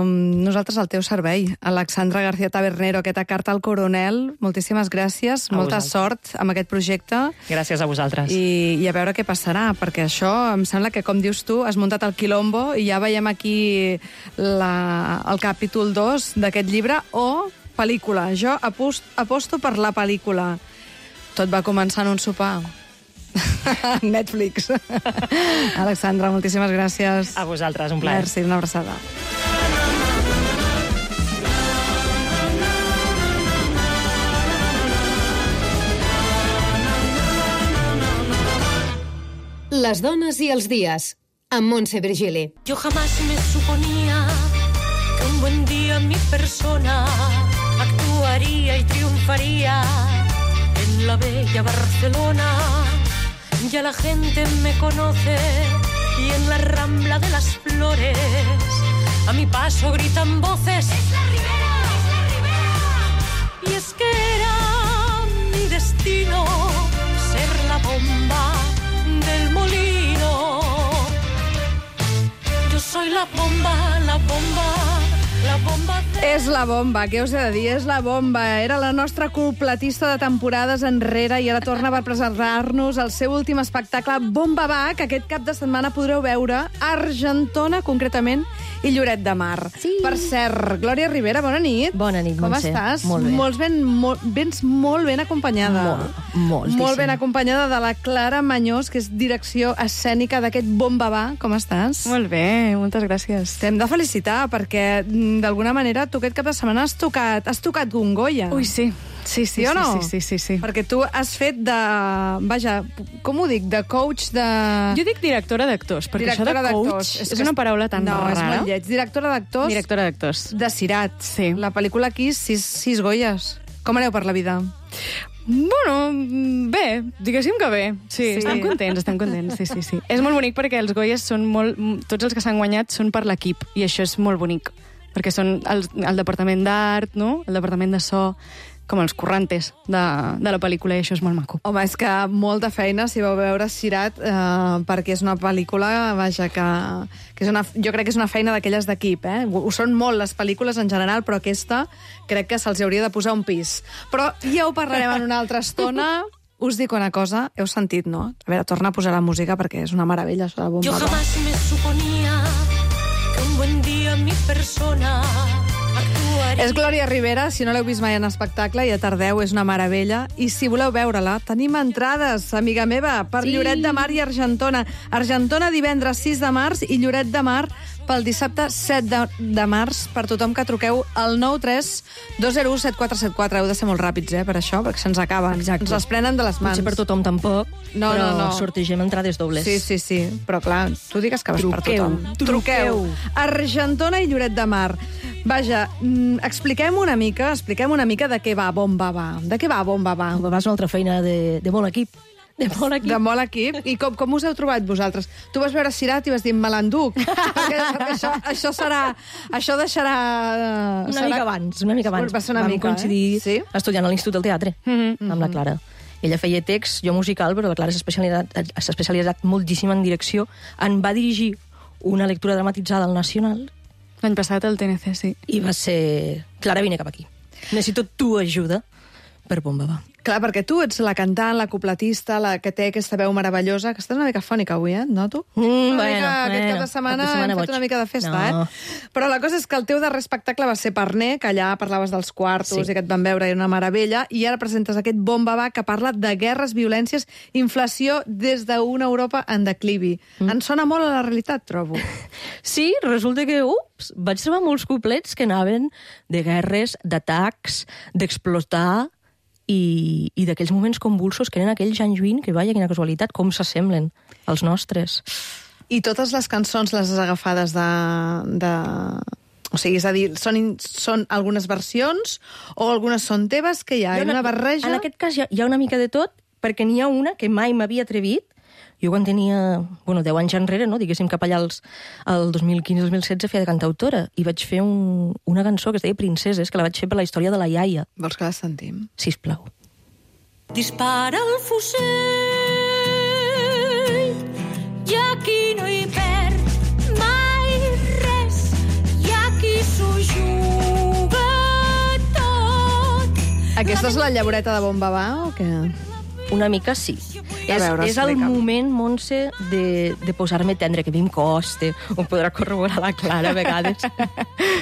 Speaker 1: nosaltres al teu servei. Alexandra García Tabernero, aquesta carta al coronel, moltíssimes gràcies, molta sort amb aquest projecte.
Speaker 3: Gràcies a vosaltres.
Speaker 1: I a veure què passarà, perquè això em sembla que, com dius tu, has muntat el quilombo i ja veiem aquí el capítol 2 d'aquest llibre, o pel·lícula. Jo aposto per la pel·lícula. Tot va començar en un sopar. Netflix. Alexandra, moltíssimes gràcies.
Speaker 3: A vosaltres, un plaer.
Speaker 1: Merci, una abraçada.
Speaker 7: Les dones i els dies, amb Montse Virgili.
Speaker 8: Yo jamás me suponía que un buen día mi persona actuaría y triunfaría en la bella Barcelona. Ya la gente me conoce y en la Rambla de las Flores a mi paso gritan voces: ¡Es la Ribera! ¡Es la Ribera! Y es que era mi destino ser la bomba del molino. Yo soy la bomba, la bomba, la bomba de...
Speaker 1: És la bomba, què us he de dir? És la bomba. Era la nostra cupletista de temporades enrere i ara torna per presentar-nos el seu últim espectacle, Bomba Va, que aquest cap de setmana podreu veure a Argentona, concretament, i Lloret de Mar.
Speaker 9: Sí.
Speaker 1: Per cert, Glòria Ribera, bona nit.
Speaker 9: Bona nit, Montse.
Speaker 1: Com estàs?
Speaker 9: Molt bé.
Speaker 1: Vens molt ben acompanyada.
Speaker 9: Moltíssim.
Speaker 1: Molt ben acompanyada de la Clara Mañós, que és direcció escènica d'aquest Bomba Va. Com estàs?
Speaker 10: Molt bé, moltes gràcies.
Speaker 1: T'hem de felicitar, perquè d'alguna manera tu aquest cap de setmana has tocat Gongoya.
Speaker 10: Ui, sí. Sí,
Speaker 1: Sí o no?
Speaker 10: Sí.
Speaker 1: Perquè tu has fet de... Vaja, com ho dic? De coach de...
Speaker 10: Jo dic directora d'actors, perquè
Speaker 1: Directora
Speaker 10: això de coach
Speaker 1: d'actors.
Speaker 10: és una paraula tan
Speaker 1: no,
Speaker 10: rara.
Speaker 1: és molt lleig. Directora d'actors
Speaker 10: Directora d'actors.
Speaker 1: de Cirat.
Speaker 10: Sí.
Speaker 1: La pel·lícula aquí, 6 Goyes. Com aneu per la vida?
Speaker 10: Bueno, bé, diguéssim que bé. Sí,
Speaker 1: Sí.
Speaker 10: estem contents, sí. És molt bonic perquè els Goyes són molt... Tots els que s'han guanyat són per l'equip, i això és molt bonic, perquè són el departament d'art, no? El departament de so, com els currantes de la pel·lícula, i això és molt maco.
Speaker 1: Home, és que molta feina si vau veure Cirat, perquè és una pel·lícula, vaja, que és jo crec que és una feina d'aquelles d'equip, eh? Ho són molt les pel·lícules en general, però aquesta crec que se'ls hauria de posar un pis. Però ja ho parlarem en una altra estona. Us dic una cosa, heu sentit, no? A veure, torna a posar la música perquè és una meravella, això de Bomba
Speaker 8: Yo
Speaker 1: Va.
Speaker 8: jamás me suponía que un buen día mi persona actuaría...
Speaker 1: És Glòria Ribera, si no l'heu vist mai en espectacle, ja tardeu, és una meravella. I si voleu veure-la, tenim entrades, amiga meva, per Lloret de Mar i Argentona. Argentona divendres 6 de març i Lloret de Mar pel dissabte 7 de març, per tothom que truqueu al 93 201 7474. Heu de ser molt ràpids, per això, perquè se'ns acaben.
Speaker 9: Exacte.
Speaker 1: Ens les prenen de les mans.
Speaker 9: Potser per tothom tampoc,
Speaker 1: No,
Speaker 9: però
Speaker 1: no.
Speaker 9: sortegem entrades dobles.
Speaker 1: Sí, però clar, tu digues que vas per tothom.
Speaker 9: Truqueu.
Speaker 1: Argentona i Lloret de Mar. Vaja, expliquem una mica de què va Bomba Va. De què va Bomba Va?
Speaker 9: Va ser una altra feina de molt equip. De molt equip.
Speaker 1: De molt equip. I com us heu trobat vosaltres? Tu vas veure Cirat i vas dir, me l'enduc. perquè això deixarà...
Speaker 9: Una mica abans.
Speaker 1: Va ser una
Speaker 9: Vam
Speaker 1: mica,
Speaker 9: coincidir
Speaker 1: Sí?
Speaker 9: estudiant a l'Institut del Teatre, amb la Clara. Ella feia text, jo musical, però la Clara s'ha especialitzat moltíssim en direcció. En va dirigir una lectura dramatitzada al Nacional.
Speaker 10: L'any passat al TNC, sí.
Speaker 9: I va ser... Clara, vine cap aquí. Necessito tu ajuda per Bomba Va.
Speaker 1: Clar, perquè tu ets la cantant, la cupletista, la que té aquesta veu meravellosa, que estàs una mica fònica avui, et noto? Aquest cap de setmana hem fet una mica de festa, Però la cosa és que el teu darrer espectacle va ser Parner, que allà parlaves dels quartos i que et van veure, era una meravella, i ara presentes aquest Bomba Va que parla de guerres, violències, inflació des d'una Europa en declivi. Ens sona molt a la realitat, trobo.
Speaker 9: Sí, resulta que, vaig trobar molts couplets que anaven de guerres, d'atacs, d'explotar, i d'aquells moments convulsos que eren aquells anys 20, que vaja, quina casualitat, com s'assemblen als nostres.
Speaker 1: I totes les cançons les has agafades O sigui, és a dir, són algunes versions o algunes són teves, que hi ha una barreja?
Speaker 9: En aquest cas hi ha una mica de tot, perquè n'hi ha una que mai m'havia atrevit. Jo quan tenia 10 anys enrere, no? Diguéssim cap allà al 2015-2016 feia de cantautora i vaig fer una cançó que es deia Princeses, que la vaig fer per la història de la iaia.
Speaker 1: Vols que la sentim?
Speaker 9: Sisplau.
Speaker 8: Dispara el fusell i aquí no hi perd mai res i aquí s'ho juga tot.
Speaker 1: Aquesta és la llavoreta de Bombabà o què?
Speaker 9: Una mica sí.
Speaker 1: A veure,
Speaker 9: és el
Speaker 1: explica'm.
Speaker 9: moment, Montse, de posar-me tendre, que a mi em costa, ho podrà corroborar la Clara a vegades.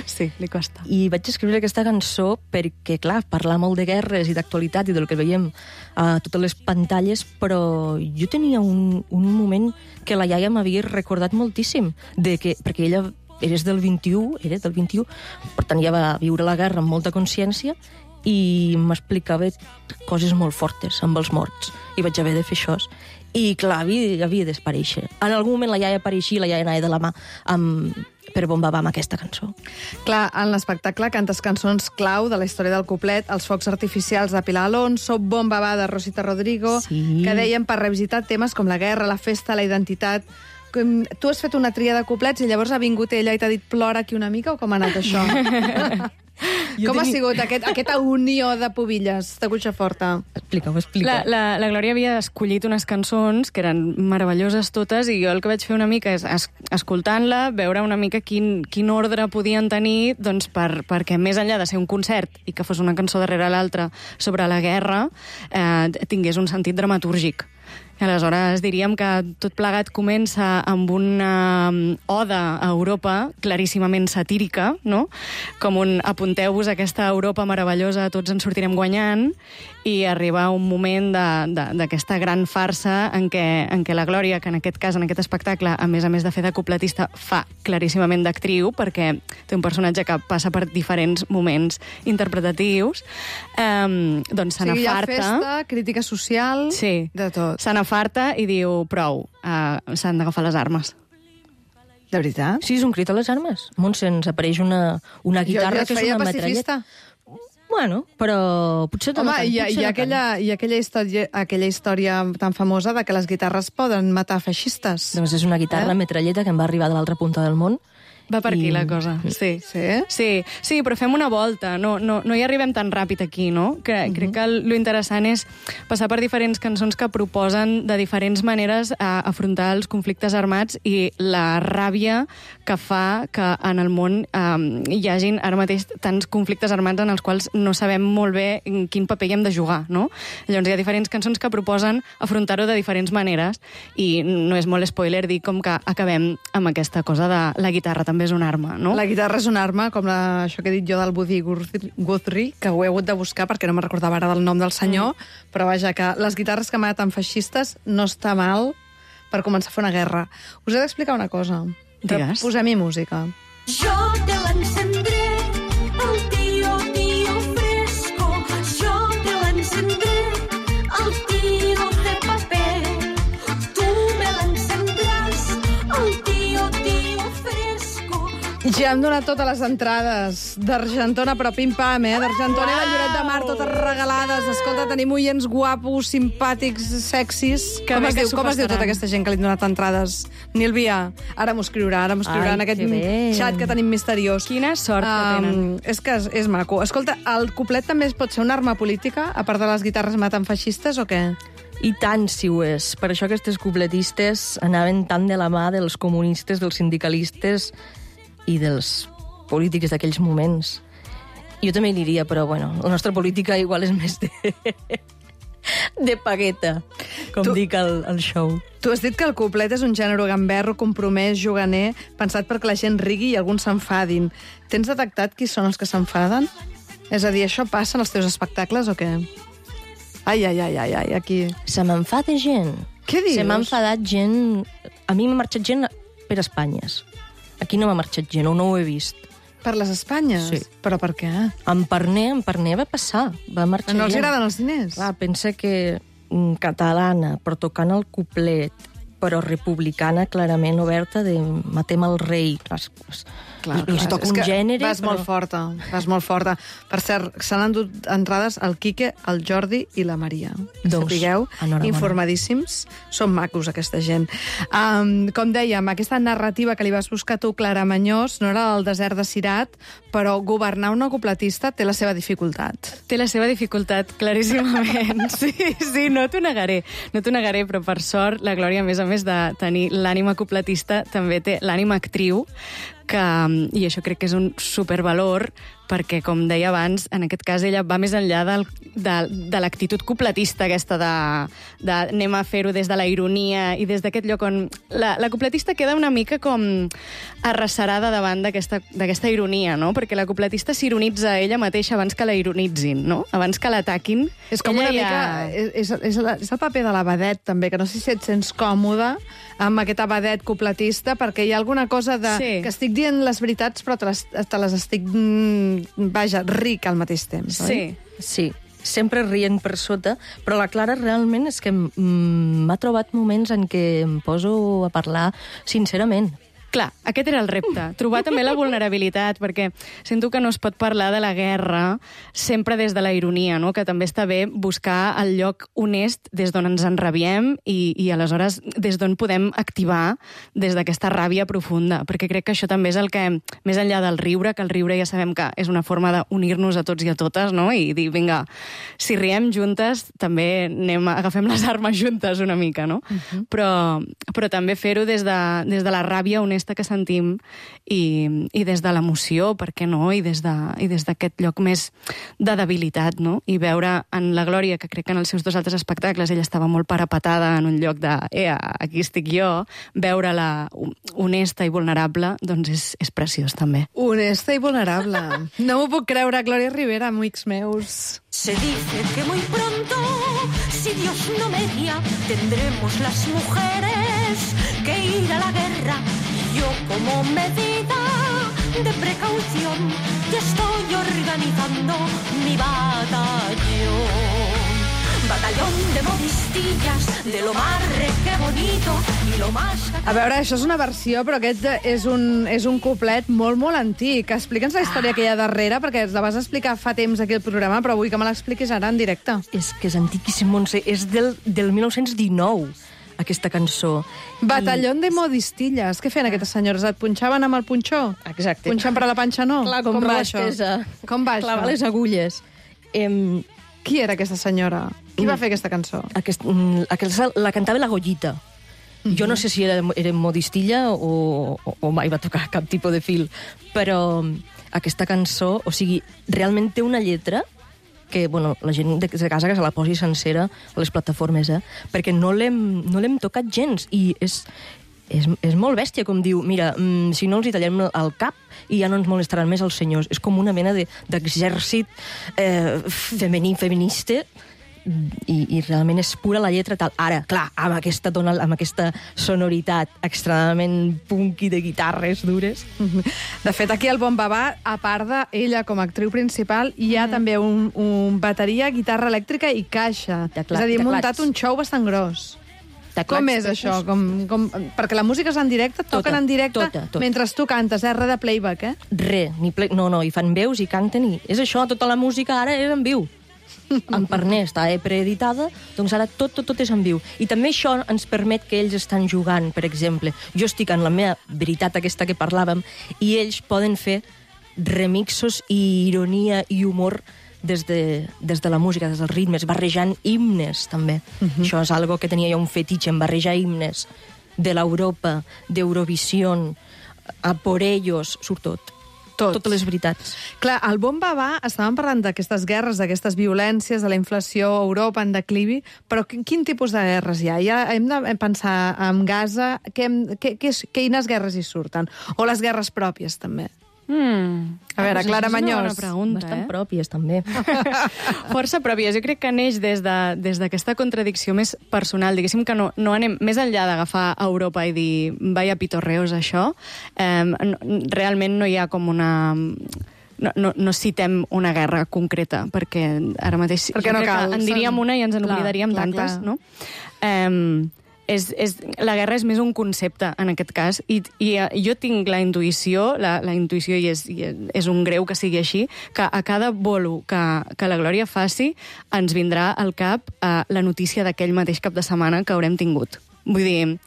Speaker 10: Sí, li costa.
Speaker 9: I vaig escriure aquesta cançó perquè, clar, parla molt de guerres i d'actualitat i del que veiem a totes les pantalles, però jo tenia un moment que la iaia m'havia recordat moltíssim, perquè ella era del 21, per tant ja va viure la guerra amb molta consciència i m'explicava coses molt fortes amb els morts, i vaig haver de fer això. I, clar, havia d'esparèixer. En algun moment la iaia apareixia, la iaia anava de la mà per Bombabà amb aquesta cançó.
Speaker 1: Clar, en l'espectacle cantes cançons clau de la història del cuplet, Els focs artificials de Pilar Alonso, Bombabà de Rosita Rodrigo,
Speaker 9: Sí.
Speaker 1: que deien per revisitar temes com la guerra, la festa, la identitat. Tu has fet una tria de cuplets i llavors ha vingut ella i t'ha dit plora aquí una mica, o com ha anat això? Com ha sigut aquesta unió de pubilles de Cuixaforta?
Speaker 9: Explica-ho.
Speaker 10: La Glòria havia escollit unes cançons que eren meravelloses totes i jo el que vaig fer una mica és, escoltant-la, veure una mica quin ordre podien tenir doncs, perquè més enllà de ser un concert i que fos una cançó darrere l'altra sobre la guerra, tingués un sentit dramatúrgic. Aleshores, diríem que tot plegat comença amb una oda a Europa claríssimament satírica, no? Com un apunteu-vos a aquesta Europa meravellosa, tots ens sortirem guanyant, i arriba un moment d'aquesta gran farsa en què la Glòria, que en aquest cas, en aquest espectacle, a més de fer de cupletista, fa claríssimament d'actriu, perquè té un personatge que passa per diferents moments interpretatius, doncs se n'afarta.
Speaker 1: Sí, hi ha festa, crítica social,
Speaker 10: sí,
Speaker 1: de tot.
Speaker 10: Se n'afarta i diu, prou, s'han d'agafar les armes.
Speaker 1: De veritat?
Speaker 9: Sí, és un crit a les armes. Montse, ens apareix una guitarra que és una metralleta. Bueno, però potser
Speaker 1: home, hi ha aquella història tan famosa de que les guitarres poden matar feixistes.
Speaker 9: Doncs és una guitarra metralleta que em va arribar de l'altra punta del món.
Speaker 10: Va per aquí la cosa, sí. Sí, però fem una volta, no hi arribem tan ràpid aquí, no? Crec que lo interessant és passar per diferents cançons que proposen de diferents maneres a afrontar els conflictes armats i la ràbia que fa que en el món hi hagin ara mateix tants conflictes armats en els quals no sabem molt bé quin paper hi hem de jugar, no? Llavors hi ha diferents cançons que proposen afrontar-ho de diferents maneres i no és molt spoiler dir com que acabem amb aquesta cosa de la guitarra també és una arma, no?
Speaker 1: La guitarra és una arma, com això que he dit jo del Woody Guthrie, que ho he hagut de buscar perquè no me'n recordava ara del nom del senyor, però vaja, que les guitarres que maten feixistes no està mal per començar a fer una guerra. Us he d'explicar una cosa.
Speaker 10: Digues.
Speaker 1: Posem-hi música.
Speaker 8: Yo te la encendré, el tío fresco. Yo te la encendré, el tío de papel. Tú me la encendrás, el tío fresco.
Speaker 1: Ja hem donat totes les entrades d'Argentona, però pim-pam, d'Argentona i de Lloret de Mar, totes regalades. Escolta, tenim oients guapos, simpàtics, sexis. Com es diu tota aquesta gent que li han donat entrades? Nílvia, ara m'ho escriurà en aquest xat que tenim misteriós.
Speaker 10: Quina sort que tenen.
Speaker 1: És que és maco. Escolta, el cuplet també pot ser una arma política, a part de les guitarres maten feixistes, o què?
Speaker 9: I tant si ho és. Per això aquestes cupletistes anaven tan de la mà dels comunistes, dels sindicalistes i dels polítics d'aquells moments. Jo també diria, però bueno, la nostra política igual és més de pagueta, com dic al show.
Speaker 1: Tu has dit que el cuplet és un gènere gamberro, compromès, juganer, pensat perquè la gent rigui i alguns s'enfadin. Tens detectat qui són els que s'enfaden? És a dir, això passa en els teus espectacles o què? Ai, aquí...
Speaker 9: Se m'enfada gent.
Speaker 1: Què dius?
Speaker 9: Se m'ha enfadat gent... A mi m'ha marxat gent per Espanyes. Aquí no m'ha marxat gent, o no ho he vist.
Speaker 1: Per les Espanyes?
Speaker 9: Sí.
Speaker 1: Però per què?
Speaker 9: En Parner va passar, va marxar gent.
Speaker 1: No els agraden els diners?
Speaker 9: Clar, pensa que catalana, però tocant el cuplet, però republicana, clarament oberta, de matem el rei. Clar, els toca un gènere...
Speaker 1: Vas molt forta. Per cert, se n'han dut entrades el Quique, el Jordi i la Maria.
Speaker 9: Doncs,
Speaker 1: sapigueu, informadíssims. Són macos, aquesta gent. Com dèiem, aquesta narrativa que li vas buscar tu, Clara Mañós, no era del desert de Cirat, però governar una copletista té la seva dificultat.
Speaker 10: Té la seva dificultat, claríssimament. Sí, no t'ho negaré, però per sort la Glòria, a més de tenir l'ànima copletista, també té l'ànima actriu, i això crec que és un supervalor, perquè, com deia abans, en aquest cas ella va més enllà de l'actitud copletista aquesta de anem a fer-ho des de la ironia i des d'aquest lloc on la copletista queda una mica com arrecerada davant d'aquesta ironia, no? Perquè la copletista s'ironitza ella mateixa abans que la ironitzin, no? Abans que l'ataquin.
Speaker 1: És com una mica... És el paper de l'abadet, també, que no sé si et sents còmode amb aquest abadet copletista, perquè hi ha alguna cosa que estic dient les veritats, però te les estic... ric al mateix temps, oi?
Speaker 9: Sí, sempre rient per sota, però la Clara realment és que m'ha trobat moments en què em poso a parlar sincerament.
Speaker 10: Clar, aquest era el repte. Trobar també la vulnerabilitat, perquè sento que no es pot parlar de la guerra sempre des de la ironia, no? Que també està bé buscar el lloc honest des d'on ens enrabiem i aleshores des d'on podem activar des d'aquesta ràbia profunda, perquè crec que això també és el que, més enllà del riure, que el riure ja sabem que és una forma d'unir-nos a tots i a totes, no? I dir, vinga, si riem juntes, també agafem les armes juntes una mica, no? Però també fer-ho des de la ràbia honesta que sentim i des de l'emoció, per què no? I des d'aquest lloc més de debilitat, no? I veure en la Glòria, que crec que en els seus 2 altres espectacles ella estava molt parapetada en un lloc de aquí estic jo, veure-la honesta i vulnerable, doncs és preciós també.
Speaker 1: Honesta i vulnerable. No m'ho puc creure, Glòria Rivera, amics meus.
Speaker 8: Se dice que muy pronto, si Dios no media, tendremos las mujeres que ir a la guerra. Yo, como medida de precaución, ya estoy organizando mi batallón. Batallón de modistillas, de lo más que bonito y lo más...
Speaker 1: A veure, això és una versió, però aquest és un couplet molt, molt antic. Explica'ns la història que hi ha darrere, perquè la vas explicar fa temps aquí al programa, però vull que me l'expliquis ara en directe.
Speaker 9: És que és antiquíssim, Montse. És del 1919. Aquesta cançó.
Speaker 1: Batallón de modistilles. Què feien aquestes senyores? Et punxaven amb el punxó?
Speaker 9: Exacte.
Speaker 1: Punxant per a la panxa, no?
Speaker 9: Clar, com va això?
Speaker 1: Com va
Speaker 9: clavar les agulles.
Speaker 1: Qui era aquesta senyora? Qui va fer aquesta cançó?
Speaker 9: La cantava la Goyita. Jo no sé si era modistilla o mai va tocar cap tipus de fil, però aquesta cançó, o sigui, realment té una lletra que, bueno, la gent de casa que se la posi sencera a les plataformes, perquè no l'hem tocat gens, i és molt bèstia, com diu, mira, si no els hi tallem el cap i ja no ens molestaran més els senyors. És com una mena d'exèrcit feminista, i realment és pura la lletra tal. Ara, clar, amb aquesta sonoritat extremadament punky de guitarres dures.
Speaker 1: De fet, aquí al Bon Bavà, a part d'ella com a actriu principal, hi ha també un bateria, guitarra elèctrica i caixa. És a dir, muntat un show bastant gros. Com és això? Perquè la música és en directe, toquen en directe mentre tu cantes, res de playback, eh?
Speaker 9: No, hi fan veus i canten, i és això, tota la música ara és en viu. En Parnès està preeditada, doncs ara tot és en viu. I també això ens permet que ells estan jugant, per exemple. Jo estic en la meva veritat aquesta que parlàvem, i ells poden fer remixos i ironia i humor des de la música, des dels ritmes, barrejant himnes, també. Això és algo que tenia jo un fetitxe, en barrejar himnes de l'Europa, d'Eurovisió, a por ellos, surt tot. Totes les veritats.
Speaker 1: Clar, al Bon Bavà estàvem parlant d'aquestes guerres, d'aquestes violències, de la inflació a Europa en declivi, però quin tipus de guerres hi ha? Ja hem de pensar en Gaza, quines guerres hi surten? O les guerres pròpies, també? A veure, Clara Mañós.
Speaker 9: Bastant pròpies, també.
Speaker 10: Força pròpies. Jo crec que neix des d'aquesta contradicció més personal. Diguéssim que no anem més enllà d'agafar Europa i dir vaya pitorreos, això. Realment no hi ha com una... No citem una guerra concreta, perquè ara mateix
Speaker 1: perquè no cal.
Speaker 10: en diríem una i ens en oblidaríem tantes, no? la guerra és més un concepte, en aquest cas, i jo tinc la intuïció, la intuïció, i és un greu que sigui així, que a cada bolo que la Glòria faci ens vindrà al cap la notícia d'aquell mateix cap de setmana que haurem tingut. Vull dir,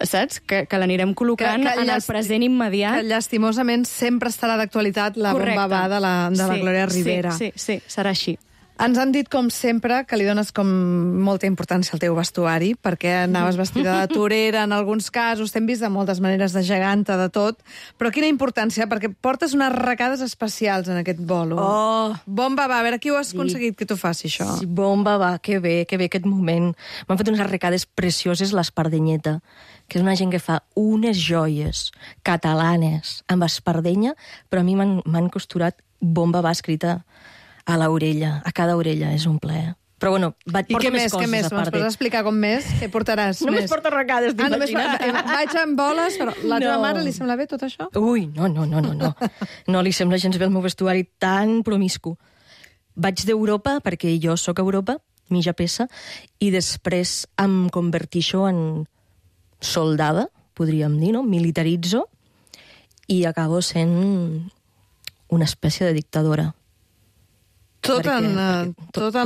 Speaker 10: saps? Que l'anirem col·locant en el present immediat.
Speaker 1: Que llastimosament sempre estarà d'actualitat la bomba va de la Glòria Ribera.
Speaker 10: Sí, serà així.
Speaker 1: Ens han dit, com sempre, que li dones com molta importància al teu vestuari, perquè anaves vestida de torera en alguns casos, t'hem vist de moltes maneres, de geganta, de tot, però quina importància, perquè portes unes arracades especials en aquest bolo.
Speaker 9: Oh!
Speaker 1: Bomba va, a veure, qui ho has aconseguit que tu faci això?
Speaker 9: Sí, bomba va, que bé aquest moment. M'han fet unes arracades precioses, l'Espardenyeta, que és una gent que fa unes joies catalanes amb espardenya, però a mi m'han costurat bomba va escrita a l'orella, a cada orella, és un plaer. Però bueno, porto més coses a part.
Speaker 1: Me'ns pots explicar com més? Què portaràs?
Speaker 9: Només porto arracades, t'imagines?
Speaker 1: Vaig amb boles, però la teva mare li sembla bé tot això?
Speaker 9: Ui, no. No li sembla gens bé el meu vestuari tan promiscu. Vaig d'Europa, perquè jo sóc a Europa, mitja peça, i després em convertixo en soldada, podríem dir, no? Militaritzo, i acabo sent una espècie de dictadora.
Speaker 1: Tot en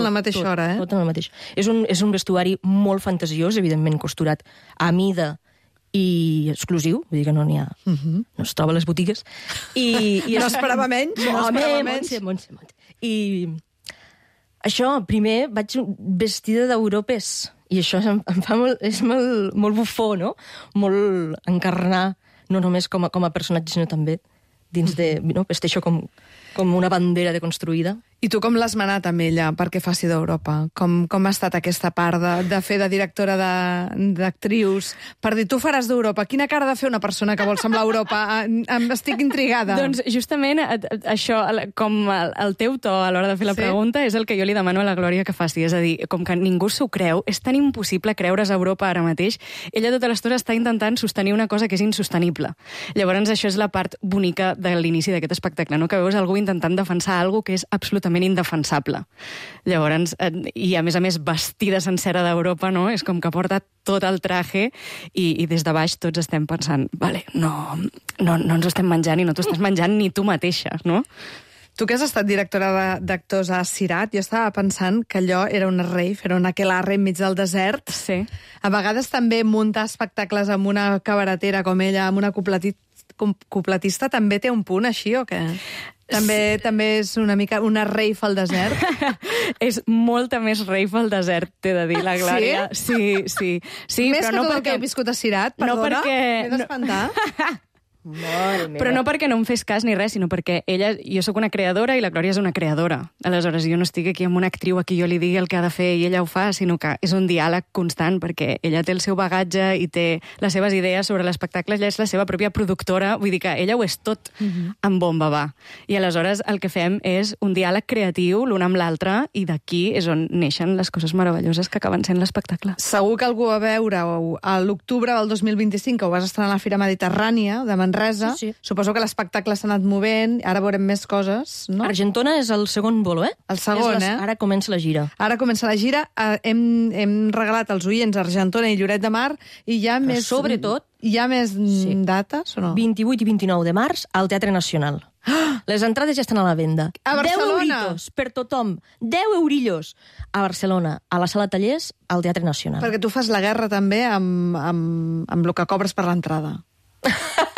Speaker 1: la mateixa hora, eh?
Speaker 9: Tot en la mateixa. És un vestuari molt fantasiós, evidentment costurat a mida i exclusiu, vull dir que no n'hi ha... No es troba a les botigues.
Speaker 1: No esperava menys?
Speaker 9: Montse. I això, primer vaig vestida d'europes, i això és molt bufó, no? Molt encarnar, no només com a personatge, sinó també dins de... Vesteixo com una bandera deconstruïda.
Speaker 1: I tu com l'has manat amb ella perquè faci d'Europa? Com ha estat aquesta part de fer de directora d'actrius? Per dir, tu faràs d'Europa. Quina cara ha de fer una persona que vol semblar Europa? Estic intrigada.
Speaker 10: Doncs justament això, com el teu to a l'hora de fer la pregunta, és el que jo li demano a la Glòria que faci. És a dir, com que ningú s'ho creu, és tan impossible creure's a Europa ara mateix, ella tota l'estona està intentant sostenir una cosa que és insostenible. Llavors això és la part bonica de l'inici d'aquest espectacle, no? Que veus algú intentant defensar alguna que és absolutament indefensable. Llavors, i a més vestida sencera d'Europa, no? És com que porta tot el traje i des de baix tots estem pensant, vale, no ens ho estem menjant i no t'ho estàs menjant ni tu mateixa, no?
Speaker 1: Tu que has estat directora d'actors a Cirat, jo estava pensant que allò era una rave, era una aquelarre enmig del desert.
Speaker 10: Sí.
Speaker 1: A vegades també muntar espectacles amb una cabaretera com ella, amb una copletista, també té un punt així, o què? També és una mica una rave al desert?
Speaker 10: És molta més rave al desert, t'he de dir, la Glòria. Sí? Sí.
Speaker 1: Més però que no tot el que he viscut a Cirat, perdona? M'he d'espantar.
Speaker 10: Però no perquè no em fes cas ni res, sinó perquè jo sóc una creadora i la Glòria és una creadora. Aleshores, jo no estic aquí amb una actriu a qui jo li digui el que ha de fer i ella ho fa, sinó que és un diàleg constant, perquè ella té el seu bagatge i té les seves idees sobre l'espectacle, ella és la seva pròpia productora, vull dir que ella ho és tot en bomba va. I aleshores el que fem és un diàleg creatiu l'un amb l'altre i d'aquí és on neixen les coses meravelloses que acaben sent l'espectacle.
Speaker 1: Segur que algú va veure-ho a l'octubre del 2025, que ho vas estrenar a la Fira Mediterrània de Manresa.
Speaker 9: Sí.
Speaker 1: Suposo que l'espectacle s'ha anat movent, ara veurem més coses, no?
Speaker 9: Argentona és el segon bolo, eh?
Speaker 1: El segon,
Speaker 9: Ara comença la gira.
Speaker 1: Ara comença la gira. Hem regalat als oients Argentona i Lloret de Mar i hi ha més...
Speaker 9: Sobretot...
Speaker 1: Hi ha més dates o no?
Speaker 9: 28 i 29 de març al Teatre Nacional. Les entrades ja estan a la venda.
Speaker 1: A Barcelona?
Speaker 9: 10 euritos per tothom. 10 eurillos. A Barcelona, a la Sala Tallers, al Teatre Nacional.
Speaker 1: Perquè tu fas la guerra també amb el que cobres per l'entrada.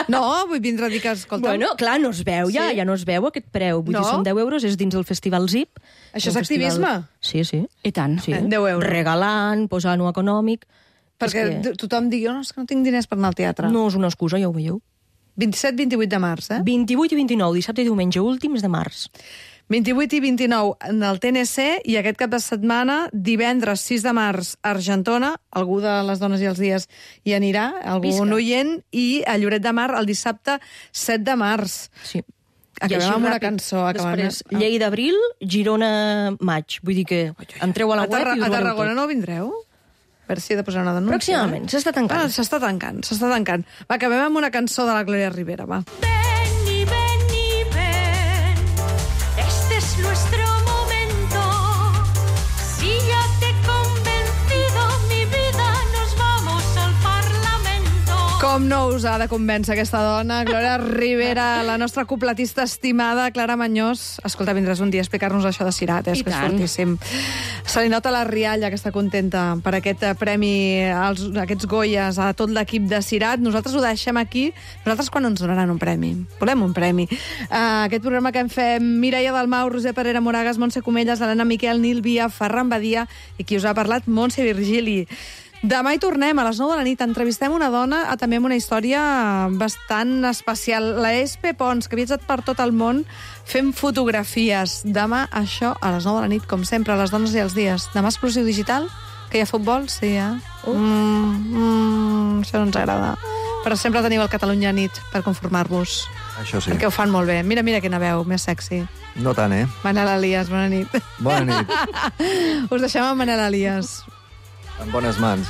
Speaker 1: No, vull vindre a dir que, escolta...
Speaker 9: Bueno, clar, no es veu ja no es veu aquest preu. Vull dir, són 10 euros, és dins el Festival ZIP.
Speaker 1: Això és activisme?
Speaker 9: Sí.
Speaker 10: I tant.
Speaker 9: Sí.
Speaker 1: 10 euros.
Speaker 9: Regalant, posant-ho econòmic.
Speaker 1: Perquè tothom digui, no, és que no tinc diners per anar al teatre.
Speaker 9: No és una excusa, ja ho veieu.
Speaker 1: 27-28 de març,
Speaker 9: 28 i 29, dissabte i diumenge, últims de març.
Speaker 1: 28 i 29 del TNC i aquest cap de setmana, divendres 6 de març, a Argentona, algú de les dones i els dies hi anirà, algun oient, i a Lloret de Mar el dissabte 7 de març.
Speaker 9: Sí.
Speaker 1: Acabem amb una cançó.
Speaker 9: Després, Lleida d'abril, Girona maig. Vull dir que entreu a la web i us
Speaker 1: a Tarragona no vindreu? A veure si he de posar una denúncia.
Speaker 9: Pròximament, s'està tancant.
Speaker 1: S'està tancant. Va, acabem amb una cançó de la Glòria Ribera, va.
Speaker 8: Nuestro momento, si ya te he convencido, mi vida, nos vamos
Speaker 1: Com no us ha de convèncer aquesta dona? Glòria Rivera, la nostra cupletista estimada, Clara Mañós. Escolta, vindràs un dia a explicar-nos això de Cirat, és que és fortíssim. Se li nota la rialla, que està contenta per aquest premi, aquests Goyes, a tot l'equip de Cirat. Nosaltres ho deixem aquí. Nosaltres quan ens donaran un premi? Volem un premi. Aquest programa que hem fet Mireia Dalmau, Roser Parera Moragas, Montse Comelles, Helena Miquel, Nil Via, Ferran Badia i qui us ha parlat, Montse Virgili. Demà hi tornem, a les 9 de la nit. Entrevistem una dona també amb una història bastant especial. La Espe Pons, que ha viatjat per tot el món fent fotografies. Demà, això, a les 9 de la nit, com sempre, a les dones i els dies. Demà Explosiu Digital, que hi ha futbol, sí, això no ens agrada. Però sempre teniu el Catalunya Nit per conformar-vos.
Speaker 11: Això sí.
Speaker 1: Perquè ho fan molt bé. Mira quina veu, més sexy.
Speaker 11: No tant,
Speaker 1: Manel Elias, bona nit.
Speaker 11: Bona nit.
Speaker 1: Us deixem amb Manel Elias.
Speaker 11: En bones mans.